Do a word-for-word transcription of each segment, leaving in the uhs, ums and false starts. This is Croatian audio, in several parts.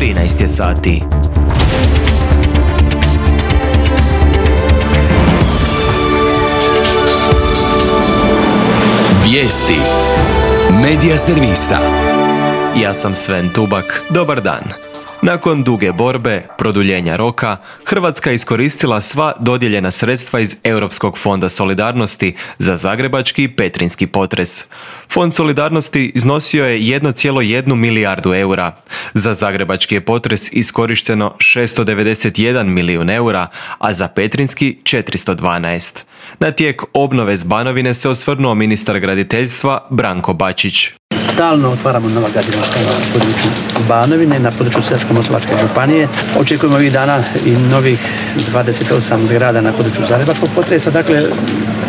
trinaest je sati. Vijesti Medija servisa. Ja sam Sven Tubak. Dobar dan. Nakon duge borbe, produljenja roka, Hrvatska je iskoristila sva dodijeljena sredstva iz Europskog fonda solidarnosti za zagrebački i petrinjski potres. Fond solidarnosti iznosio je jedan zarez jedan milijardu eura. Za zagrebački je potres iskorišteno šesto devedeset jedan milijun eura, a za petrinjski četiristo dvanaest. Na tijek obnove s Banovine se osvrnuo ministar graditeljstva Branko Bačić. Stalno otvaramo nova gradilišta na području Banovine, na području Sisačko-moslavačke županije. Očekujemo ovih dana i novih dvadeset osam zgrada na području zagrebačkog potresa. Dakle,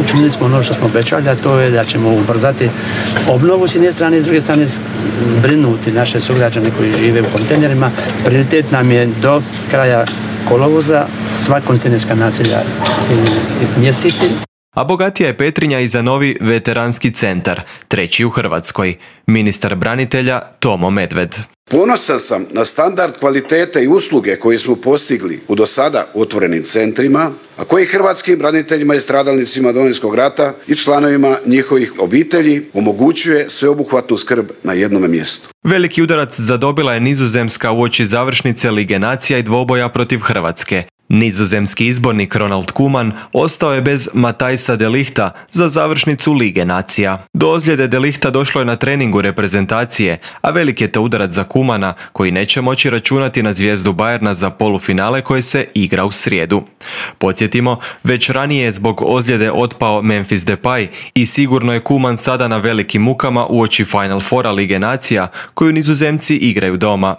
učinili smo ono što smo obećali, a to je da ćemo ubrzati obnovu s jedne strane, s druge strane zbrinuti naše sugrađane koji žive u kontejnerima. Prioritet nam je do kraja kolovoza sva kontejnerska naselja izmjestiti. A bogatija je Petrinja i za novi veteranski centar, treći u Hrvatskoj. Ministar branitelja Tomo Medved. Ponosan sam na standard kvalitete i usluge koje smo postigli u do sada otvorenim centrima, a koji hrvatskim braniteljima i stradalnicima Domovinskog rata i članovima njihovih obitelji omogućuje sveobuhvatnu skrb na jednome mjestu. Veliki udarac zadobila je Nizozemska uoči završnice Lige nacija i dvoboja protiv Hrvatske. Nizozemski izbornik Ronald Koeman ostao je bez Matthijsa de Lighta za završnicu Lige nacija. Do ozljede de Lighta došlo je na treningu reprezentacije, a velik je to udarac za Koemana koji neće moći računati na zvijezdu Bayerna za polufinale koje se igra u srijedu. Podsjetimo, već ranije je zbog ozljede otpao Memphis Depay i sigurno je Koeman sada na velikim mukama uoči Final Fora Lige nacija koju Nizozemci igraju doma.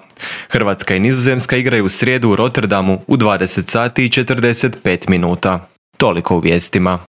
Hrvatska i Nizozemska igraju u srijedu u Rotterdamu u dvadeset sati i četrdeset pet minuta. Toliko u vijestima.